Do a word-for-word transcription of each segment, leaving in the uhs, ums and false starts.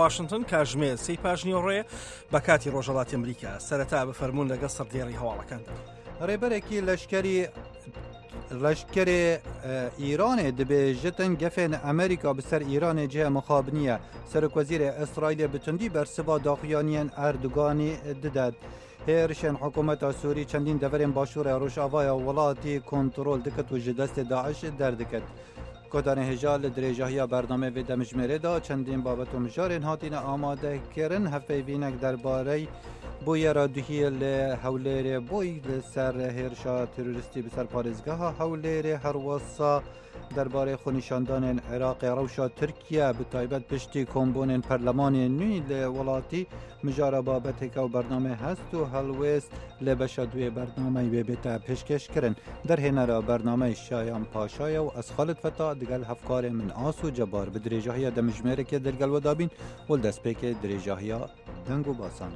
واشنتن کاتژمێر سێی پاش نیوەڕۆیە بە کاتی ڕۆژهەڵاتی ئەمریکا. سەرەتا بفەرموون لەگەڵ سەردێڕی هەواڵەکاندا. ڕێبەرێکی لەشکری لەشکری ئیرانێ دەبێژتن گەفێن ئەمریکا بەسەر ئیرانێ جێ مخابنیە. سەرۆک وەزیرێ ئیسرائیلێ بتوندی بەرسڤا داخویانیان ئەردوگانی ددات. هێرشên حکوومەتا سووری چەندین دەڤەرên باشوورê ڕۆژاڤایا وڵاتی کۆنترۆل دکت و ji destê داعش derdiket. Kodanê hêja li dirêjahiya bernameyê vê demjimêrê da çendîn babet û mijarên hatine amadekirin hevpeyvînek derbarey bûyera duhiyê li Hewlêrê bûy li ser hêrişa terorîstî bi ser parêzgeha Hewlêrê herwesa derbarê xwenîşandanên Iraqê rewşa Tirkiye bi taybet piştî kombûnên perlemanê nû li welatî mijara babetêke û bernameyê hest û helwêst li beşa duyê bernameyê wê bête pêşkêşkirin. Derhênera bernameyê Şayan Paşaye û ez Xalid Feta digel hevkarê min Aso Cebar bi dirêjahiya demjimêrekê dilgel we dabîn û li destpêkê dirêjahiya deng û basan.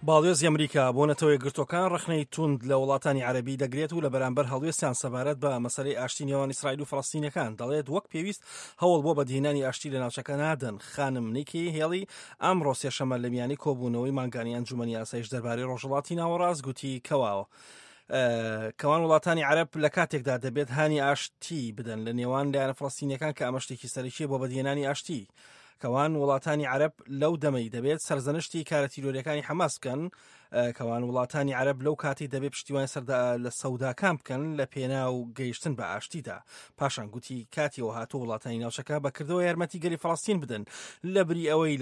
باڵیۆزی ئەمریکا بۆ نەتەوە یەکگرتووەکان ڕەخنەی توند لە وڵاتانی عەرەبی دەگرێت و لە بەرامبەر هەڵوێستیان سەبارەت بە مەسەلەی ئاشتی نێوان ئیسرائیل و فەڵەستینیەکان دەڵێت وەک پێویست هەوڵ بۆ بەدیهێنانی ئاشتی لە ناوچەکە نادەن. خانم نیکی هێڵی ئەمڕۆ سێشەممە لە میانی کۆبوونەوەی مانگانی ئەنجومەنی ئاسایش دەربارەی ڕۆژهەڵاتی ناوەڕاست گوتی کەواوە کەوان وڵاتانی عەرەب لە کاتێکدا دەبێت هانی ئاشتی بدەن لە نێوان لایەنە فەڵەستینیەکان کە ئەمە شتێکی سەرەکیە بۆ بەدیهێنانی ئاشتی. کەوان وڵاتانی عەرەب لەو دەمەی دەبێت سەرزەنشتی کارە تیرۆریەکانی حەماس بکەن. کەوان وڵاتانی عەرەب لەو کاتی دەبێت پشتیوانی سەردا لە سەوداکان بکەن لە پێناو گەیشتن بە ئاشتیدا. پاشان گوتی کاتیەوە هاتوو وڵاتانی ناوچەکە بەکردەوە یارمەتی گەلی فەڵەستین بدەن لە بری ئەوەی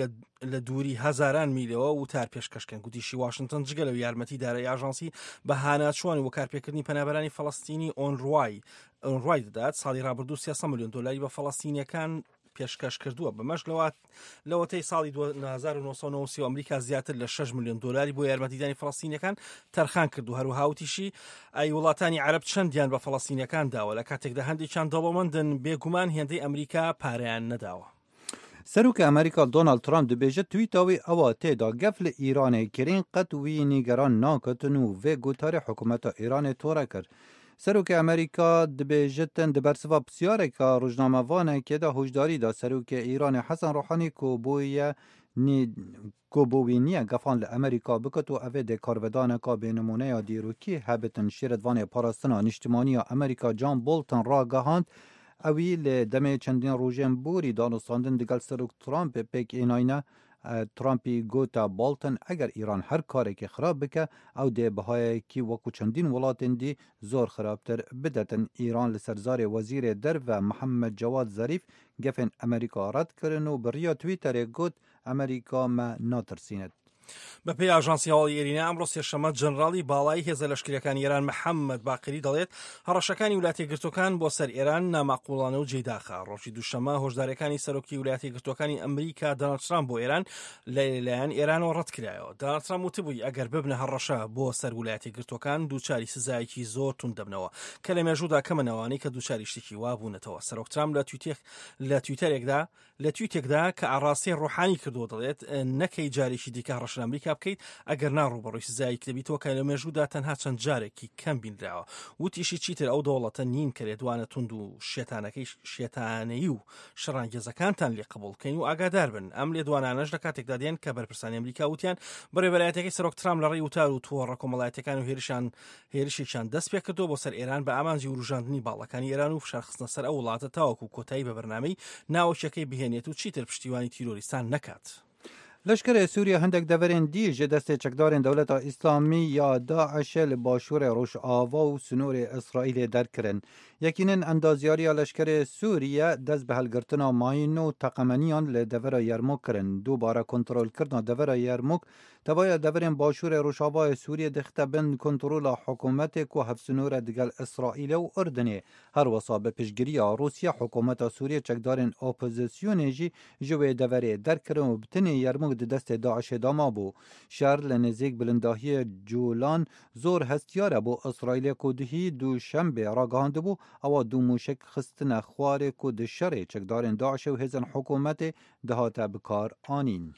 لە دووری هەزاران میلەوە وتار پێشکەشکەن. گوتیشی واشنگتن جگە لەو یارمەتی دارایی ئاژانسی بە هاناچووان و کارپێکردنی پەنابەرانی فەڵەستینی ئۆنڕوای ئۆنڕوای دەدات. ساڵی ڕابردوو سێسەد ملیۆن دۆلاری بە فەڵەستینیەکان پێشکەش کردووە. بەمەش لەوەتەی ساڵی دوو هەزار و نۆ سەد و نەوەد و سێ ئەمریکا زیاتر لە شەش ملیۆن دۆلاری بۆ یارمەتیدانی فەڵەستینیەکان تەرخان کردو. هەروەها وتیشی ئەی وڵاتانی عەرەب چەندیان بە فەڵەستینیەکان داوە لە کاتێکدا هەندێکیان دەوڵەمەندن بێگومان هێندەی ئەمریکا پارەیان نەداوە. سەرۆکی ئەمریکا دۆناڵد ترامپ دەبێژێت تویتاوی ئەوە تێدا گەف لە ئیرانێ کرین قەت وی نیگەران ناکەتن و vê gotarê hikûmeta Îranê tore kir. سەرۆکی ئەمریکا دەبێژێتن di bersiva pisyareka rojnamevanekê de hişdarî da serokê Îranê Hesen Rohanî ku bûye ku bo wî niye gefan li Amerîka biket û ev ê dê karvedaneka bênimûneya dîrokî hebitin. Şîretvanê parastina nîştimaniya Amerîka John Bolton ragihand ewî li demê çendîn rojên borî danûstandin digel serok Trump pêk ênayne. Trumpî gota Bolton eger Îran her karekî xirab bike ew dê bihayekî wekû çendîn welatên dî zor xirabtir bidetin. Îran li ser zarê wezîrê derve Mihemed Cewad Zarîf gefên Amerîka red kirin û bi riya Twitterê got Amerîka me natirsînet. بەپێی ئاژانسی هەواڵی ئێرینا ئەمڕۆ سێشەممە جەنراڵی باڵای هێزە لەشکریەکانی ئێران محەممەد باقری دەڵێت هەڕەشەکانی ویلایەتە یەکگرتووەکان بۆ سەر ئێران ناماقوڵانە و جێداخە. ڕۆژی دووشەممە هۆشداریەکانی سەرۆکی ویلایەتە یەکگرتووەکانی ئەمریکا دۆناڵد ترامپ بۆ ئێران لەلایەن ئێرانەوە ڕەتکرایەوە. دۆناڵد ترامپ وتبووی ئەگەر ببنە هەڕەشە بۆ سەر ویلایەتە یەکگرتووەکان دووچاری سزایەکی زۆر توند دەبنەوە کە لە مێژوودا کەمەنەوانەی کە دووچاری شتێکی وا بوونەتەوە. سەرۆک ترامپ لە تویتەرێکدا لە تویتێکدا کە ئاڕاستەی ڕۆحانی کردووە دەڵێت نەکەی جارێکی دیکە هەڕەشە لە ئەمریکا بکەیت ئەگەر ناڕووبەڕووی سزایەک دەبیتەوە کە لە مێژوودا تەنها چەند جارێکی کەم بینراوە. وتیشی چیتر ئەو دەوڵەتە نین کە لێدوانە توند و شێتانەکەی شێتانەیی و شەڕانگێزەکانتان لێ قبوڵ بکەین و ئاگادار بن. ئەم لێدوانانەش لە کاتێکدا دێن کە بەرپرسانی ئەمریکا وتیان بەڕێوەبەرایەتیەکەی سەرۆک ترامپ لە ڕێی وتار و تۆڕە کۆمەڵایەتیەکان و هێرشان هێرشێکیان دەست پێ کردووە بۆ سەر ئێران بە ئامانجی وروژاندنی باڵەکانی ئێران و فشارخستنە سەر ئەو وڵاتە تاوەکو کۆتایی بە بەرنامەی ناوەکیەکەی بهێنێت و چیتر پشتیوانی تیرۆریستان نەکات. لەشکرê Sûriye hindek deverên dî ji destê çekdarên Dewleta Îslamî ya Daişê li başûrê Rojava û sinorê Îsraîlê derkirin. Yekînên endazyariya leşkerê Sûriye dest bi helgirtina mayîn û teqemeniyan li devera Yermûk kirin. Dubare kontrolkirina devera Yermûk tevaya deverên başûrê Rojavayê Sûriye dixte bin kontrola hikûmetê ku hevsinore digel Îsraîlê û Urdunê. Her wisa bi piştgiriya Rûsya hikûmeta Sûriye çekdarên opozisyonê jî ji wê deverê derkirin û bi tenê Yermûk di destê Daişê de mabû. Şer li nêzîk bilindahiyê Colan zor hestiyar e bo Îsraîlê ku duhî duşembê ragihandibû ewa du mûşek xistine xwarê ku di şerê çekdarên Daişê û hêzên hikûmetê dihate bikar anîn.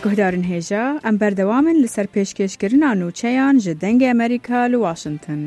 Guhdarên hêja, em berdewam in li ser pêşkêşkirina nûçeyan ji Dengê Amerîka li Washington.